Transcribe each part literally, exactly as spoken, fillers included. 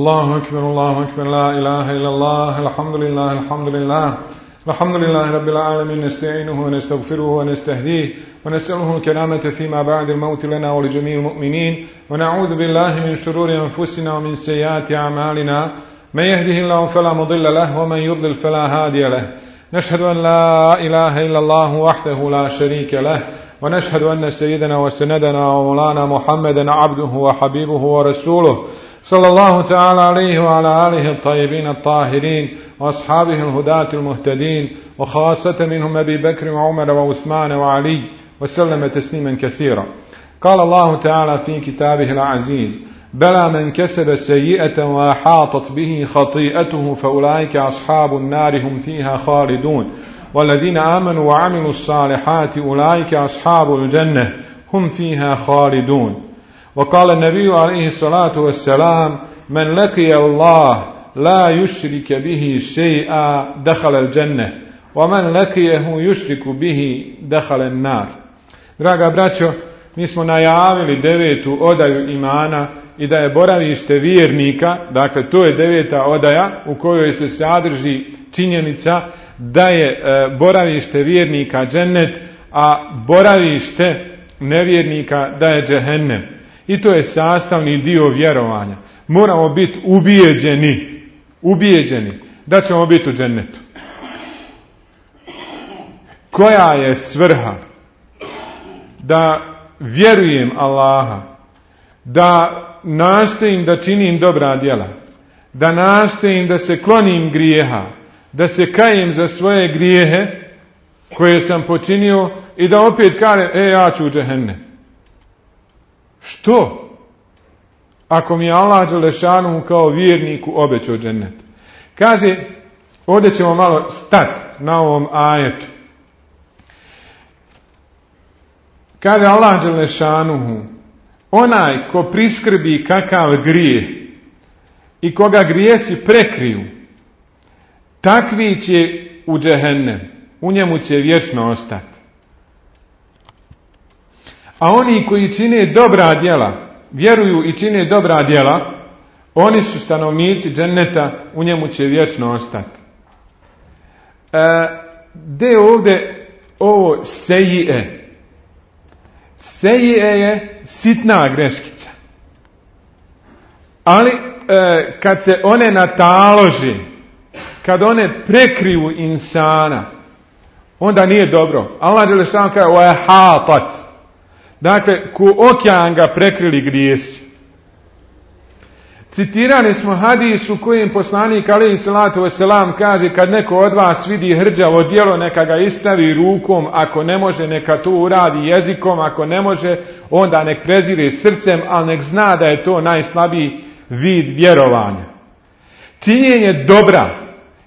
الله أكبر الله أكبر لا إله إلا الله الحمد لله الحمد لله الحمد لله رب العالمين نستعينه ونستغفره ونستهديه ونسأله الكرامة فيما بعد الموت لنا ولجميع المؤمنين ونعوذ بالله من شرور أنفسنا ومن سيئات أعمالنا من يهده الله فلا مضل له ومن يضلل فلا هادي له نشهد أن لا إله إلا الله وحده لا شريك له ونشهد أن سيدنا وسندنا ومولانا محمدا عبده وحبيبه ورسوله صلى الله تعالى عليه وعلى آله الطيبين الطاهرين وأصحابه الهداة المهتدين وخاصة منهم أبي بكر وعمر وعثمان وعلي وسلم تسليما كثيرا. قال الله تعالى في كتابه العزيز: بلى من كسب سيئة وأحاطت به خطيئته فأولئك أصحاب النار هم فيها خالدون والذين آمنوا وعملوا الصالحات أولئك أصحاب الجنة هم فيها خالدون. وقال النبي عليه الصلاة والسلام: من لقي الله لا يشرك به شيئا دخل الجنة ومن لقيه يشرك به دخل النار. Draga braćo, mi smo najavili devetu odaju imana i da je boravište vjernika, dakle to je deveta odaja u kojoj se sadrži činjenica da je e, boravište vjernika džennet, a boravište nevjernika da je džehennem. I to je sastavni dio vjerovanja. Moramo biti ubijeđeni, ubijeđeni da ćemo biti u džennetu. Koja je svrha? Da vjerujem Allaha, da nastojim da činim dobra djela, da nastojim da se klonim grijeha, da se kajem za svoje grijehe koje sam počinio i da opet kažem, e, ja ću u džehennem. Što? Ako mi je Allah dželešanu kao vjerniku obećao džennet. Kaže, ovdje ćemo malo stati na ovom ajetu. Kaže Allah dželešanu, onaj ko priskrbi kakav grijeh i koga grijesi prekriju, takvi će u džehennem, u njemu će vječno ostati. A oni koji čine dobra djela, vjeruju i čine dobra djela, oni su stanovnici dženneta, u njemu će vječno ostati. E, de ovdje ovo sejije? Sejije je sitna greškica. Ali e, kad se one natalože, kad one prekriju insana, onda nije dobro. Allah dželešanu kaže وَيَحَاطَتْ. Dakle, ko okean ga prekrili grijesi. Citirani smo hadis u kojem poslanik alejhi salatu vesselam kaže: kad neko od vas vidi hrđavo djelo, neka ga istavi rukom, ako ne može neka to uradi jezikom, ako ne može onda nek prezire srcem, ali nek zna da je to najslabiji vid vjerovanja. Činjenje dobra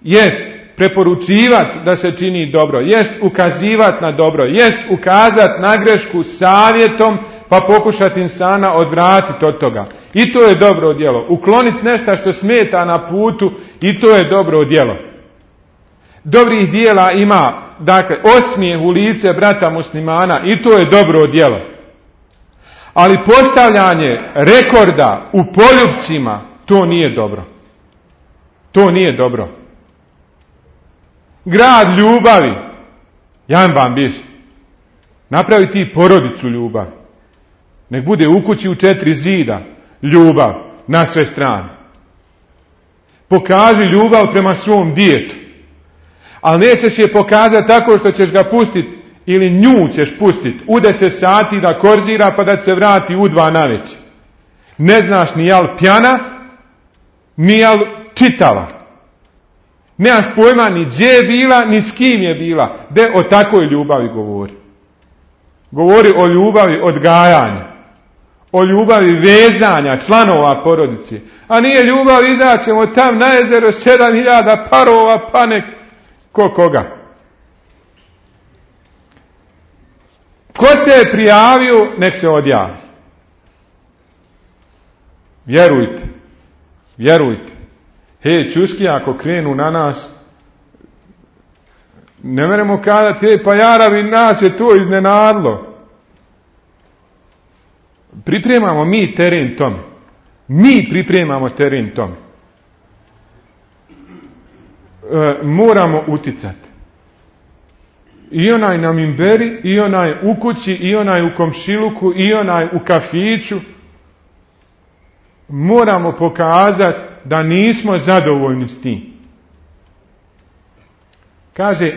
jest preporučivati da se čini dobro, jest ukazivati na dobro, jest ukazati na grešku savjetom pa pokušati insana odvratiti od toga. I to je dobro djelo. Ukloniti nešto što smeta na putu, i to je dobro djelo. Dobrih djela ima, dakle, osmijeh u lice brata muslimana, i to je dobro djelo. Ali postavljanje rekorda u poljupcima, to nije dobro. To nije dobro. Grad ljubavi, jambam biš, napravi ti porodicu ljubavi. Nek bude u kući u četiri zida ljubav na sve strane. Pokaži ljubav prema svom djetetu. Ali nećeš je pokazati tako što ćeš ga pustiti ili nju ćeš pustiti u deset sati da korzira pa da se vrati u dva navečer. Ne znaš ni jal pjana, ni jal čitava. Nemaš pojma ni gdje je bila, ni s kim je bila. De o takvoj ljubavi govori. Govori o ljubavi odgajanja. O ljubavi vezanja članova porodice. A nije ljubav izaćemo tam na jezero sedam hiljada parova, pa nek ko koga. Ko se je prijavio, nek se odjavi. Vjerujte. Vjerujte. Hej, čuski, ako krenu na nas, ne meremo kazati, hej, pa jaravi, nas je to iznenadlo. Pripremamo mi teren tome. Mi pripremamo teren tome. E, moramo uticati. I onaj na minberi, i onaj u kući, i onaj u komšiluku, i onaj u kafiću. Moramo pokazati da nismo zadovoljni s tim. Kaže,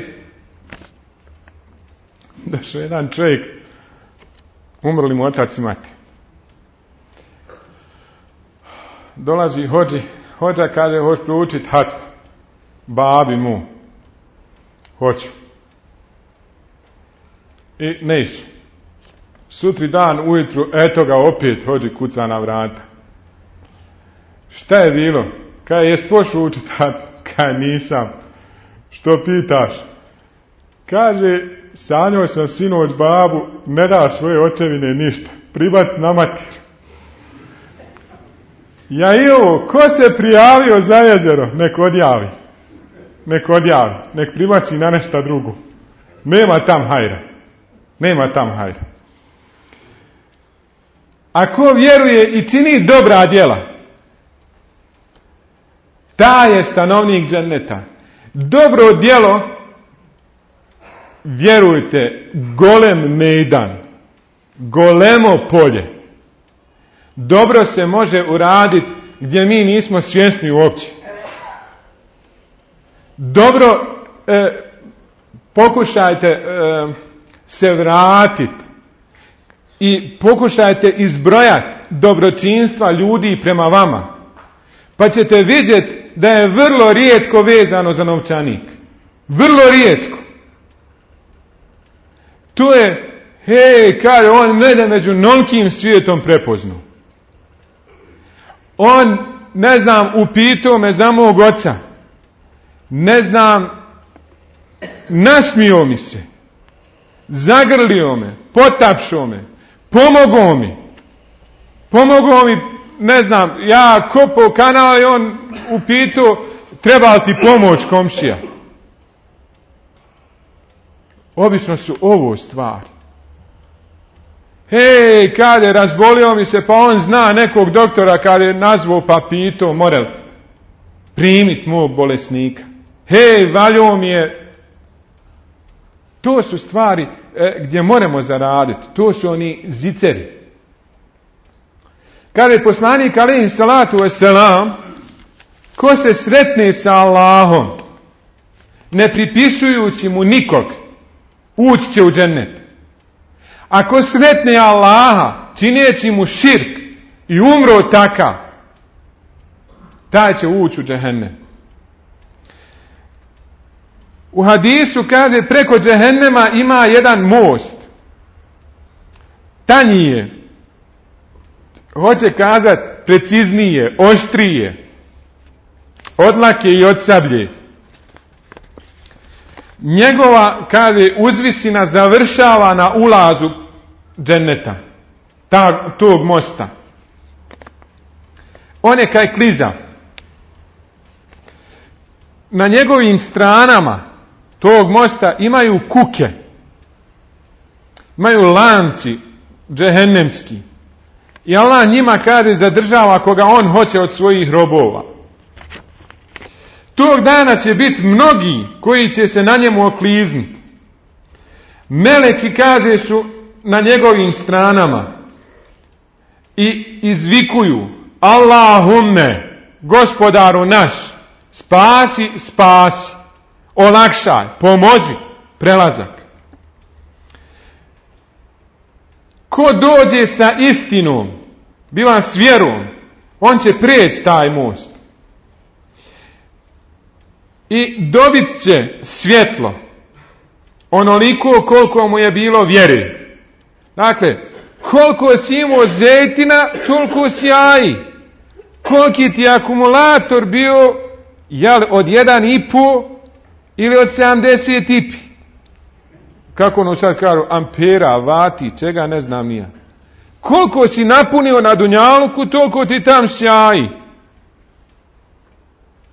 došao jedan čovjek, umrli mu otac i mati. Dolazi hođi, hođa kaže, hoć proučit hatmu. Babi mu, hoću. I ne išu. Sutri dan ujutru, eto ga opet hođi kuca na vrata. Šta je bilo? Kaj jes pošao učit hatmu? Kaj nisam. Što pitaš? Kaže, sanjao sam sinoć babu, ne da svoje očevine ništa. Pribac na mater. Ja i ovo, ko se prijavio za jezero, nek odjavi. Nek odjavi. Nek pribaci na nešto drugo. Nema tam hajra. Nema tam hajra. Ako vjeruje i čini dobra djela, taj je stanovnik dženneta. Dobro djelo, vjerujte, golem mejdan, golemo polje. Dobro se može uraditi gdje mi nismo svjesni uopće. Dobro, e, pokušajte e, se vratiti i pokušajte izbrojati dobročinstva ljudi prema vama. Pa ćete vidjeti da je vrlo rijetko vezano za novčanik. Vrlo rijetko. To je, hej, kaže, on mene među nolkim svijetom prepoznao. On, ne znam, upitao me za mog oca. Ne znam, nasmio mi se. Zagrlio me, potapšao me, pomogao mi. Pomogao mi, ne znam, ja kopao kanal i on upitao, treba li ti pomoć, komšija? Obično su ovo stvari. Hej, kada je razbolio mi se, pa on zna nekog doktora kada je nazvao pa pitao, mora li primiti mog bolesnika. Hej, valio mi je. To su stvari e, gdje moramo zaraditi. To su oni ziceri. Kada je poslanik alejhi salatu vesselam, ko se sretne sa Allahom, ne pripisujući mu nikog, ući će u džennet. Ako sretne Allaha, čineći mu širk i umro takav, taj će ući u džehennem. U hadisu kaže, preko džehennema ima jedan most. Tanji je. Hoće kazati preciznije, oštrije. Od lake i od sablje. Njegova, kaže, uzvisina završava na ulazu dženneta. Ta, tog mosta. On je kaj kliza. Na njegovim stranama tog mosta imaju kuke. Imaju lanci džehennemski. I Allah njima, kaže, zadržava koga on hoće od svojih robova. Tog dana će biti mnogi koji će se na njemu oklizniti. Meleki, kaže, su na njegovim stranama i izvikuju: Allahumme, gospodaru naš, spasi, spasi, olakšaj, pomozi prelazak. Ko dođe sa istinom, biva s vjerom, on će prijeći taj most. I dobit će svjetlo onoliko koliko mu je bilo vjeri. Dakle, koliko si imao zejtina, toliko si jaji. Koliki ti akumulator bio, jel, od jedan i po ili od sedamdeset i pi. Kako ono sad kažu, ampera, vati, čega ne znam nija. Koliko si napunio na dunjaluku, toliko ti tam sjaji.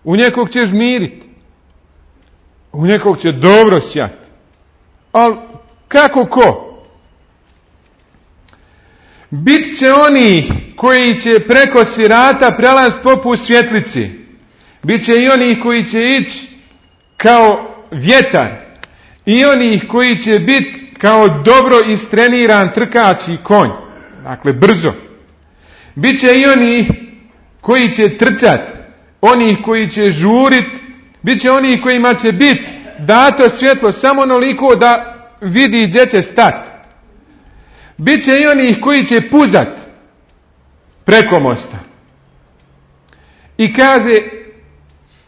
U nekog ćeš miriti. U nekog će dobro sjati. Ali kako ko? Bit će oni koji će preko sirata prelaziti poput svjetlice. Biće i onih koji će ići kao vjetar. I onih koji će biti kao dobro istreniran trkaći konj. Dakle, brzo. Biće i onih koji će trčati. Onih koji će žurit. Biće onih kojima će biti dato svjetlo samo onoliko da vidi gdje će stati. Biće i onih koji će puzat preko mosta. I kaže,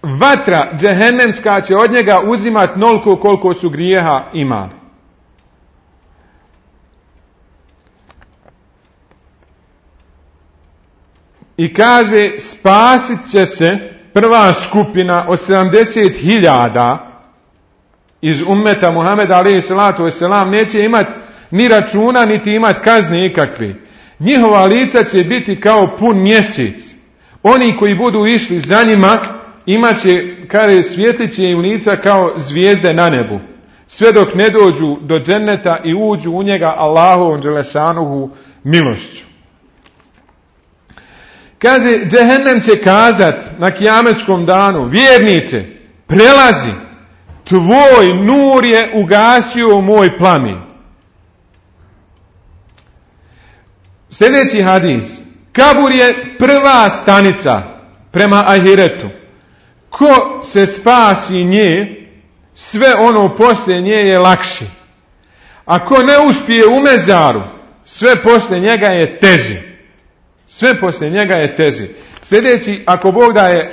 vatra džehennemska će od njega uzimat noliko koliko su grijeha imali. I kaže, spasit će se prva skupina od sedamdeset hiljada iz ummeta Muhameda alejhi salatu vesselam, neće imati ni računa, niti imati kazne ikakve. Njihova lica će biti kao pun mjesec. Oni koji budu išli za njima, imat će, kaže, svijetlit će im lica kao zvijezde na nebu. Sve dok ne dođu do dženneta i uđu u njega Allahovom dželešanuhu milošću. Kaže, džehennem će kazat na kijametskom danu, vjernice, prelazi, tvoj nur je ugasio moj plamen. Sljedeći hadis. Kabur je prva stanica prema ahiretu. Ko se spasi nje, sve ono poslije nje je lakše. Ako ne uspije u mezaru, sve poslije njega je teže. Sve poslije njega je teže. Sljedeći, ako Bog da je, e,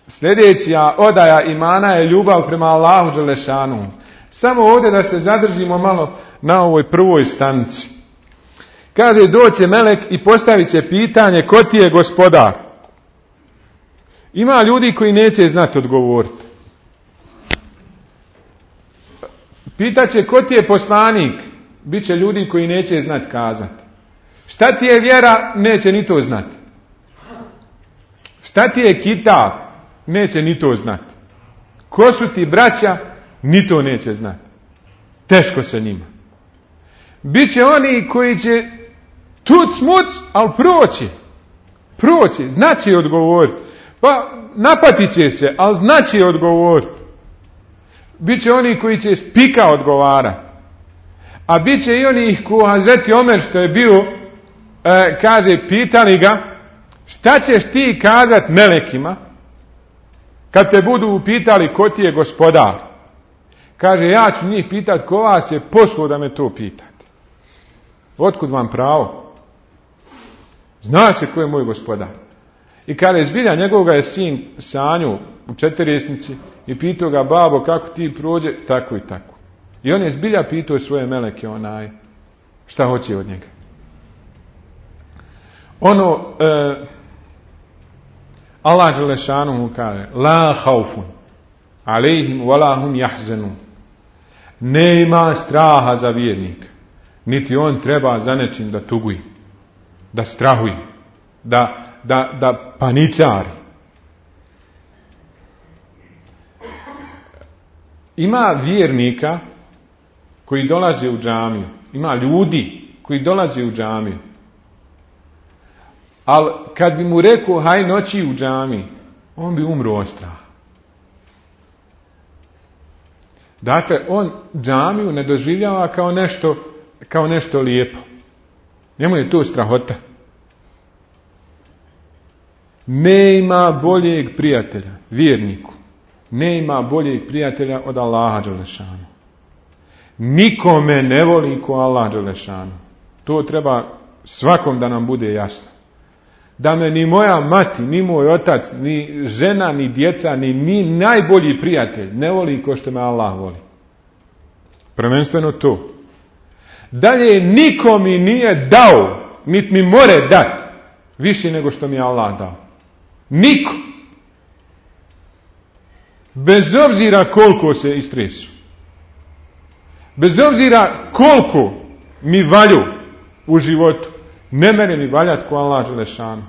sljedeća odaja imana je ljubav prema Allahu dželešanu. Samo ovdje da se zadržimo malo na ovoj prvoj stanici. Kaže, doće melek i postavit će pitanje, ko ti je gospodar? Ima ljudi koji neće znati odgovoriti. Pitaće, ko ti je poslanik? Biće ljudi koji neće znati kazati. Šta ti je vjera? Neće ni to znati. Šta ti je kitab? Neće ni to znati. Ko su ti braća? Ni to neće znati. Teško se njima. Biće oni koji će tuc muc, ali proći. Proći, znači odgovoriti. Pa napatit će se, ali znači odgovoriti. Biće oni koji će spika odgovarati. A bit će i onih ko Hazreti Omer što je bio, e, kaže, pitali ga, šta ćeš ti kazat melekima kad te budu upitali ko ti je gospodar? Kaže, ja ću njih pitat ko vas je poslao da me to pitate. Otkud vam pravo? Zna se ko je moj gospodar. I kada je zbilja, njegovoga je sin sanju u četirjesnici i pitao ga, babo, kako ti prođe, tako i tako. I on je zbilja pitao svoje meleke, onaj, šta hoće od njega. Ono, e, Allah dželešanu mu kaže, la haufun, alejhim wala hum jahzenun. Ne ima straha za vjernika, niti on treba za nečim da tuguje, da strahuje, da Da, da paničari. Ima vjernika koji dolaze u džamiju. Ima ljudi koji dolaze u džamiju. Ali kad bi mu rekao haj noći u džamiji, on bi umro od straha. Dakle, on džamiju ne doživljava kao nešto, kao nešto lijepo. Njemu je to strahota. Ne ima boljeg prijatelja, vjerniku. Ne ima boljeg prijatelja od Allaha dželešanu. Nikome ne voli ko Allah dželešanu. To treba svakom da nam bude jasno. Da me ni moja mati, ni moj otac, ni žena, ni djeca, ni, ni najbolji prijatelj ne voli ko što me Allah voli. Prvenstveno to. Dalje, niko mi nije dao, niti mi more dati više nego što mi je Allah dao. Niko. Bez obzira koliko se istresu. Bez obzira koliko mi valju u životu. Ne mene mi valjati ko Allah dželešanu.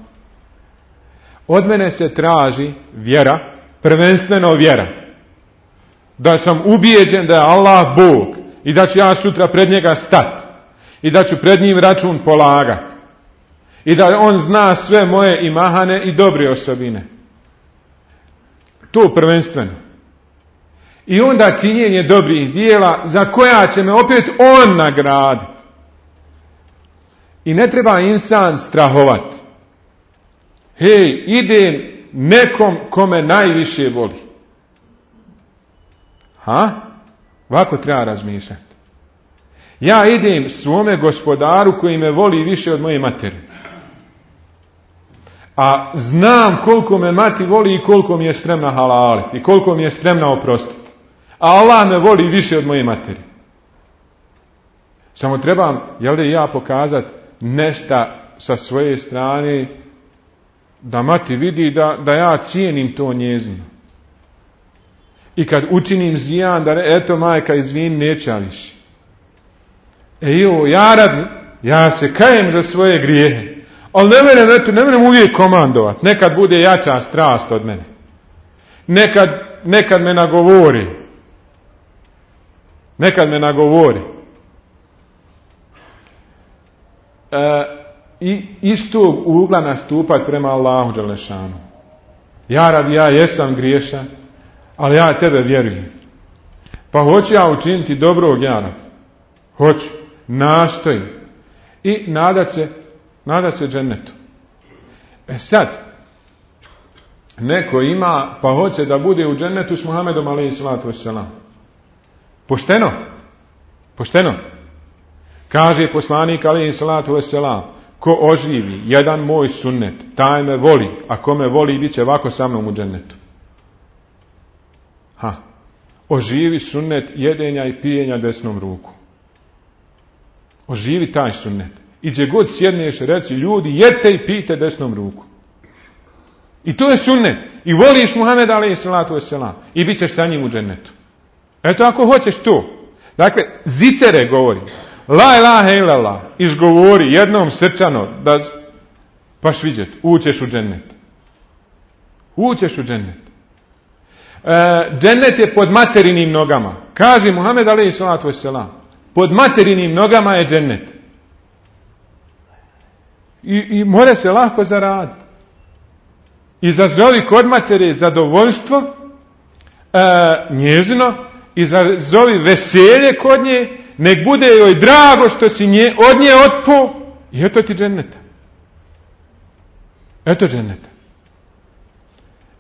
Od mene se traži vjera, prvenstveno vjera. Da sam ubijeđen da je Allah Bog i da ću ja sutra pred njega stati i da ću pred njim račun polagati. I da on zna sve moje i mahane i dobre osobine. To prvenstveno. I onda činjenje dobrih dijela za koja će me opet on nagraditi. I ne treba insan strahovati. Hej, idem nekom kome najviše voli. Ha? Ovako treba razmišljati. Ja idem svome gospodaru koji me voli više od moje materi. A znam koliko me mati voli i koliko mi je spremna halaliti. I koliko mi je spremna oprostiti. A Allah me voli više od moje materi. Samo trebam, jel da ja pokazati nešto sa svoje strane da mati vidi da, da ja cijenim to njezino. I kad učinim zijan, da eto majka izvini, neće više. E jo, ja rad, ja se kajem za svoje grijehe. Ali ne merem, eto, ne merem uvijek komandovat. Nekad bude jača strast od mene. Nekad, nekad me nagovori. Nekad me nagovori. E, I iz tog ugla nastupat prema Allahu dželešanu. Ja rab, ja jesam griješan, ali ja tebe vjerujem. Pa hoću ja učiniti dobrog, ja rab. Hoću. Nastojim. I nadat se, nadat se džennetu. E sad, neko ima, pa hoće da bude u džennetu s Muhammedom alejhi salatu vesselam. Pošteno? Pošteno? Kaže poslanik alejhi salatu vesselam, ko oživi jedan moj sunnet, taj me voli, a ko me voli, bit će ovako sa mnom u džennetu. Ha. Oživi sunnet jedenja i pijenja desnom ruku. Oživi taj sunnet. I gdje god sjedneš, reci, ljudi, jedte i pijte desnom ruku. I to je sunnet. I voliš Muhameda alejhi salatu vesselam. I bit ćeš sa njim u džennetu. Eto, ako hoćeš to. Dakle, zitere govori. La ilaha illallah. Izgovori jednom srčano. Da, paš vidjet. Ućeš u džennet. Ućeš u džennet. E, džennet je pod materinim nogama. Kaže Muhammed alejhi salatu vesselam. Pod materinim nogama je džennet. I, i more se lahko zaraditi. Izazovi kod matere zadovoljstvo e, njezino, izazovi veselje kod nje, nek bude joj drago što si nje, od nje otpo, i eto ti dženneta. Eto dženneta.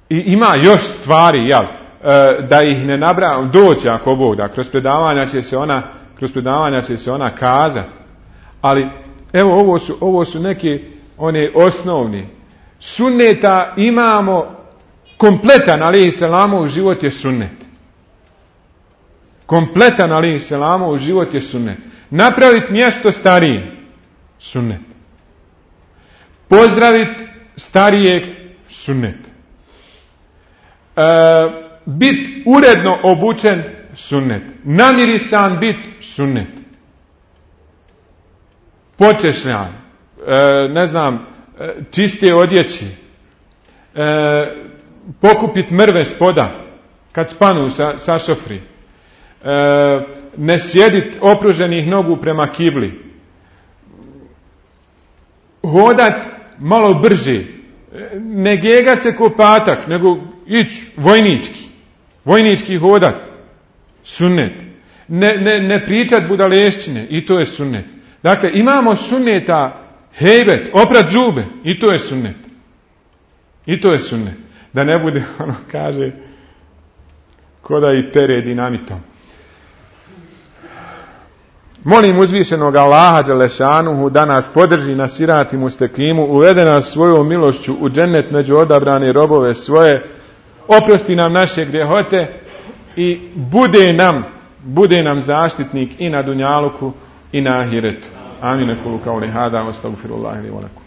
I ima još stvari, jel, e, da ih ne nabrajam, doći ako Bog da, kroz predavanja će se ona, kroz predavanja će se ona kazati. Ali, evo, ovo su, ovo su neke one osnovni. Sunneta imamo kompletan, alejhi selamov život je sunnet. Kompletan, alejhi selamov život je sunnet. Napraviti mjesto starije, sunnet. Pozdraviti starijeg, sunnet. E, bit uredno obučen, sunnet. Namirisan bit, sunnet. Počešljan, e, ne znam, čiste odjeći, e, pokupit mrve spoda kad spanu sa, sa šofri, e, ne sjedit opruženih nogu prema kibli, hodat malo brže, ne gegat se ko patak, nego ići vojnički, vojnički hodat, sunnet, ne, ne, ne pričat budalešćine, i to je sunnet. Dakle, imamo sunneta. Hejbet, oprat zube, i to je sunnet. I to je sunnet. Da ne bude, ono kaže, ko da i pere dinamitom. Molim uzvišenog Allaha dželešanuhu da nas podrži na sirati mustekimu, uvede nas svojom milošću u džennet među odabrane robove svoje, oprosti nam naše grijehote i bude nam, bude nam zaštitnik i na dunjaluku i na ahiretu. آمين. أقول قولي هذا وأستغفر الله لي ولكم.